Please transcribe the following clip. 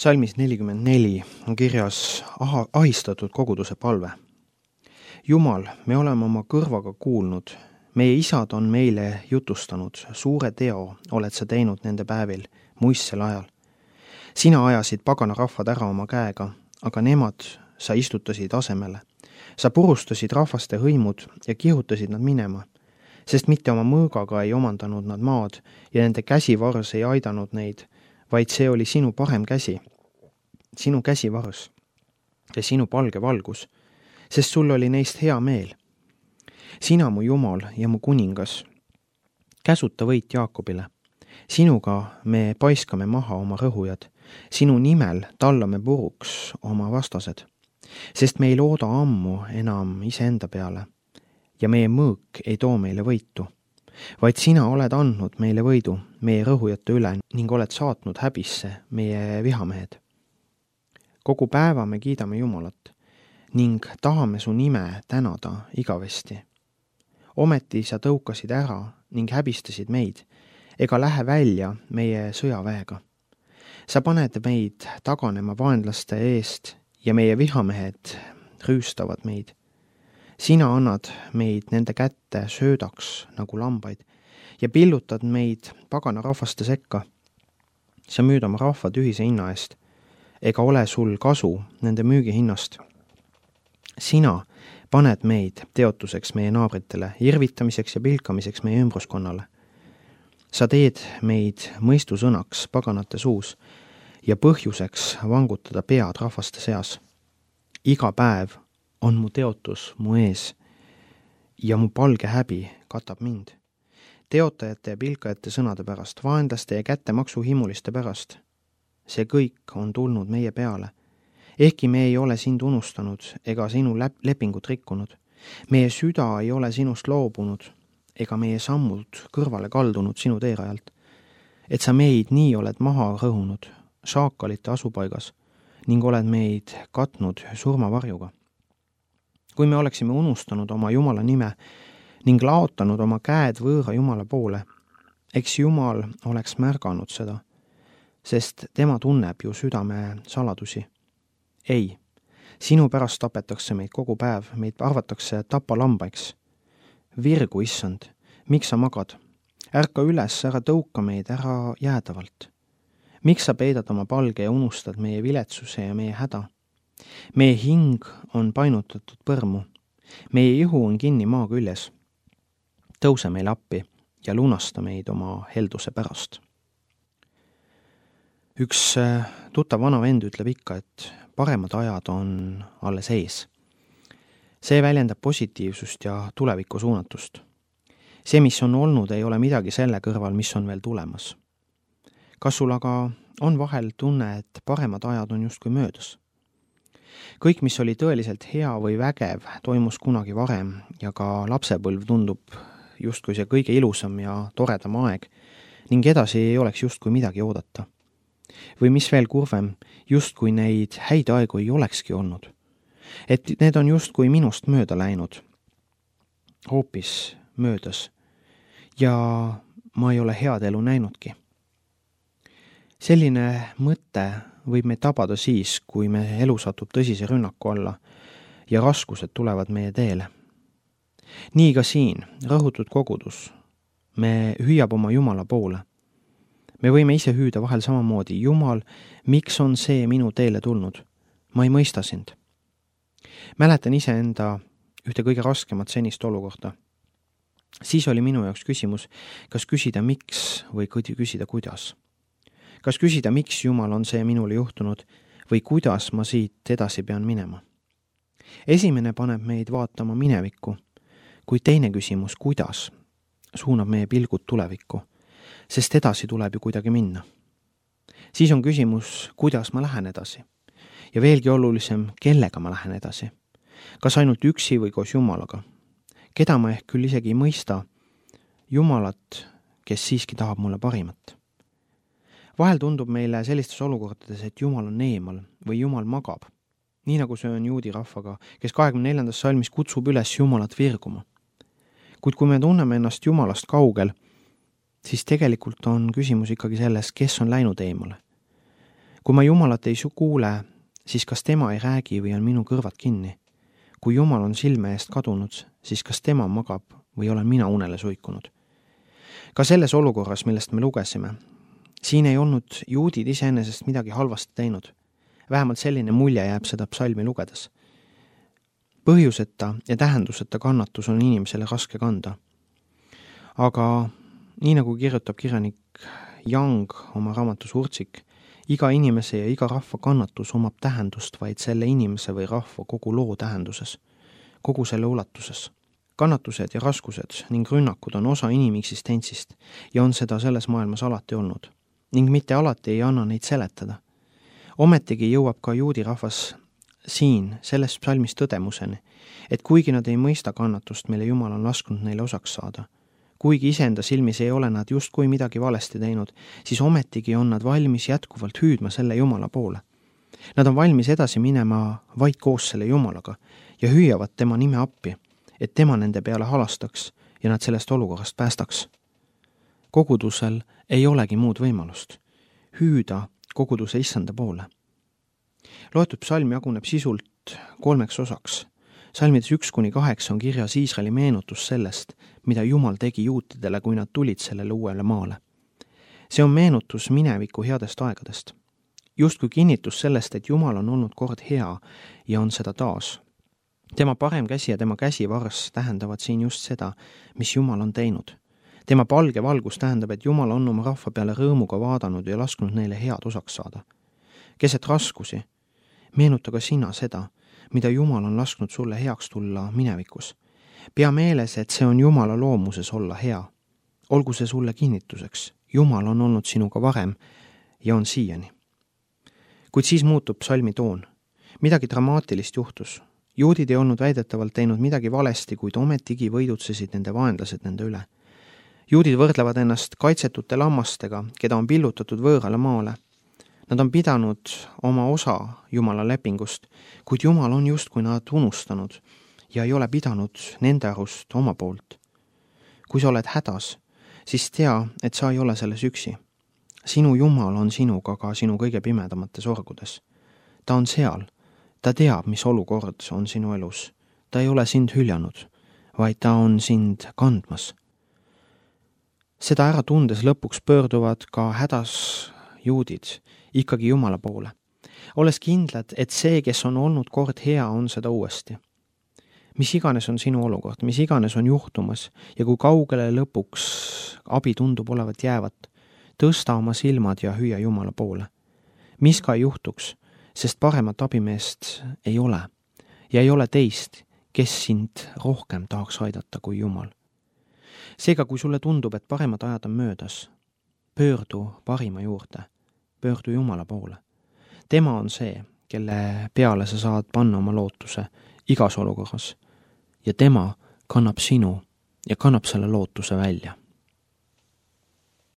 Psalmis 44 on kirjas ahistatud koguduse palve. Jumal, me oleme oma kõrvaga kuulnud, meie isad on meile jutustanud, suure teo oled sa teinud nende päevil, muistsel ajal. Sina ajasid pagana rahvad ära oma käega, aga nemad sa istutasid asemele. Sa purustasid rahvaste hõimud ja kihutasid nad minema, sest mitte oma mõõgaga ei omandanud nad maad ja nende käsivars ei aidanud neid, vaid see oli sinu parem käsi, sinu käsivars ja sinu palge valgus, sest sul oli neist hea meel. Sina mu Jumal ja mu kuningas, käsuta võit Jaakobile. Sinuga me paiskame maha oma rõhujad, sinu nimel tallame puruks oma vastased, sest me ei looda ammu enam iseenda peale ja meie mõõk ei too meile võitu, vaid sina oled andnud meile võidu meie rõhujate üle ning oled saatnud häbisse meie vihamehed. Kogu päeva me kiidame Jumalat ning tahame su nime tänada igavesti. Ometi sa tõukasid ära ning häbistasid meid, ega lähe välja meie sõjaväega. Sa paned meid taganema vaenlaste eest ja meie vihamehed rüüstavad meid. Sina annad meid nende kätte söödaks nagu lambaid ja pillutad meid pagana rahvaste sekka. Sa müüd oma rahvad ühise hinna eest, ega ole sul kasu nende müügihinnast. Sina paned meid teotuseks meie naabritele, irvitamiseks ja pilkamiseks meie ümbruskonnale. Sa teed meid mõistusõnaks paganate suus ja põhjuseks vangutada pead rahvaste seas. Iga päev on mu teotus mu ees ja mu palge häbi katab mind. Teotajate ja pilkajate sõnade pärast, vaenlaste ja kättemaksu himuliste pärast. See kõik on tulnud meie peale. Ehkki me ei ole sind unustanud ega sinu lepingut rikkunud. Meie süda ei ole sinust loobunud ega meie sammud kõrvale kaldunud sinu teerajalt. Et sa meid nii oled maha rõhunud šaakalite asupaigas ning oled meid katnud surmavarjuga. Kui me oleksime unustanud oma Jumala nime ning laotanud oma käed võõra Jumala poole, eks Jumal oleks märganud seda, sest tema tunneb ju südame saladusi. Ei, sinu pärast tapetakse meid kogu päev, meid arvatakse tapalambaiks. Virgu, issand, miks sa magad? Ärka üles, ära tõuka meid, ära jäädavalt. Miks sa peidad oma palge ja unustad meie viletsuse ja meie häda? Meie hing on painutatud põrmu. Meie ihu on kinni maa küljes. Tõuse meile appi ja lunasta meid oma helduse pärast. Üks tuttav vana vend ütleb ikka, et paremad ajad on alles ees. See väljendab positiivsust ja tulevikku suunatust. See, mis on olnud, ei ole midagi selle kõrval, mis on veel tulemas. Kas sul aga on vahel tunne, et paremad ajad on justkui möödas? Kõik, mis oli tõeliselt hea või vägev, toimus kunagi varem ja ka lapsepõlv tundub justkui see kõige ilusam ja toredam aeg ning edasi ei oleks justkui midagi oodata. Või mis veel kurvem, justkui neid häid aegu ei olekski olnud. Et need on justkui minust mööda läinud, hoopis möödas ja ma ei ole head elu näinudki. Selline mõte võib meid tabada siis, kui me elu satub tõsise rünnaku alla ja raskused tulevad meie teele. Nii ka siin, rõhutud kogudus, me hüüab oma Jumala poole. Me võime ise hüüda vahel samamoodi, Jumal, miks on see minu teele tulnud? Ma ei mõista sind. Mäletan iseenda ühte kõige raskemat senist olukorda. Siis oli minu jaoks küsimus, kas küsida miks või küsida kuidas. Kas küsida, miks Jumal on see minule juhtunud või kuidas ma siit edasi pean minema. Esimene paneb meid vaatama minevikku, kuid teine küsimus, kuidas, suunab meie pilgud tulevikku, sest edasi tuleb ju kuidagi minna. Siis on küsimus, kuidas ma lähen edasi. Ja veelgi olulisem, kellega ma lähen edasi. Kas ainult üksi või koos Jumalaga? Keda ma ehk küll isegi ei mõista, Jumalat, kes siiski tahab mulle parimat. Vahel tundub meile sellistes olukordades, et Jumal on eemal või Jumal magab. Nii nagu see on juudi rahvaga, kes 24. salmis kutsub üles Jumalat virguma. Kuid kui me tunneme ennast Jumalast kaugel, siis tegelikult on küsimus ikkagi selles, kes on läinud eemale. kui ma Jumalat ei kuule, siis kas tema ei räägi või on minu kõrvad kinni? Kui Jumal on silme eest kadunud, siis kas tema magab või olen mina unele suikunud? Ka selles olukorras, millest me lugesime, siin ei olnud juudid iseenesest midagi halvasti teinud. Vähemalt selline mulje jääb seda psalmi lugedes. Põhjuseta ja tähenduseta kannatus on inimesele raske kanda. Aga nii nagu kirjutab kirjanik Young oma raamatus Urtsik, iga inimese ja iga rahva kannatus omab tähendust vaid selle inimese või rahva kogu loo tähenduses, kogu selle ulatuses. Kannatused ja raskused ning rünnakud on osa inimeksistentsist ja on seda selles maailmas alati olnud. Ning mitte alati ei anna neid seletada. Ometigi jõuab ka juudi rahvas siin selles psalmis tõdemuseni, et kuigi nad ei mõista kannatust, mille Jumal on lasknud neile osaks saada, kuigi iseenda silmis ei ole nad justkui midagi valesti teinud, siis ometigi on nad valmis jätkuvalt hüüdma selle Jumala poole. Nad on valmis edasi minema vaid koos selle Jumalaga ja hüüavad tema nime appi, et tema nende peale halastaks ja nad sellest olukorrast päästaks. Kogudusel ei olegi muud võimalust. Hüüda koguduse issanda poole. Loetud psalm jaguneb sisult 3 osaks. Salmides 1-8 on kirjas Iisraeli meenutus sellest, mida Jumal tegi juutidele, kui nad tulid sellele uuele maale. See on meenutus mineviku headest aegadest. Justkui kinnitus sellest, et Jumal on olnud kord hea ja on seda taas. Tema parem käsi ja tema käsivarss tähendavad siin just seda, mis Jumal on teinud. Tema palge valgus tähendab, et Jumal on oma rahva peale rõõmuga vaadanud ja lasknud neile head osaks saada. Keset raskusi, meenuta ka sina seda, mida Jumal on lasknud sulle heaks tulla minevikus. Pea meeles, et see on Jumala loomuses olla hea. Olgu see sulle kinnituseks. Jumal on olnud sinuga varem ja on siiani. Kuid siis muutub psalmi toon. Midagi dramaatilist juhtus. Juudid ei olnud väidetavalt teinud midagi valesti, kuid ometigi võidutsesid nende vaenlased nende üle. Juudid võrdlevad ennast kaitsetute lammastega, keda on pillutatud võõrale maale. Nad on pidanud oma osa Jumala lepingust, kuid Jumal on justkui nad unustanud ja ei ole pidanud nende arust oma poolt. Kui sa oled hädas, siis tea, et sa ei ole selles üksi. Sinu Jumal on sinuga ka sinu kõige pimedamates orgudes. Ta on seal. Ta teab, mis olukord on sinu elus. Ta ei ole sind hüljanud, vaid ta on sind kandmas. Seda ära tundes lõpuks pöörduvad ka hädas juudid ikkagi Jumala poole. Olles kindlad, et see, kes on olnud kord hea, on seda uuesti. Mis iganes on sinu olukord, mis iganes on juhtumas ja kui kaugele lõpuks abi tundub olevat jäävat, tõsta oma silmad ja hüüa Jumala poole. Mis ka ei juhtuks, sest paremat abimeest ei ole ja ei ole teist, kes sind rohkem tahaks aidata kui Jumal. Seega, kui sulle tundub, et paremad ajad on möödas, pöördu parima juurde, pöördu Jumala poole. Tema on see, kelle peale sa saad panna oma lootuse igas olukorras ja tema kannab sinu ja kannab selle lootuse välja.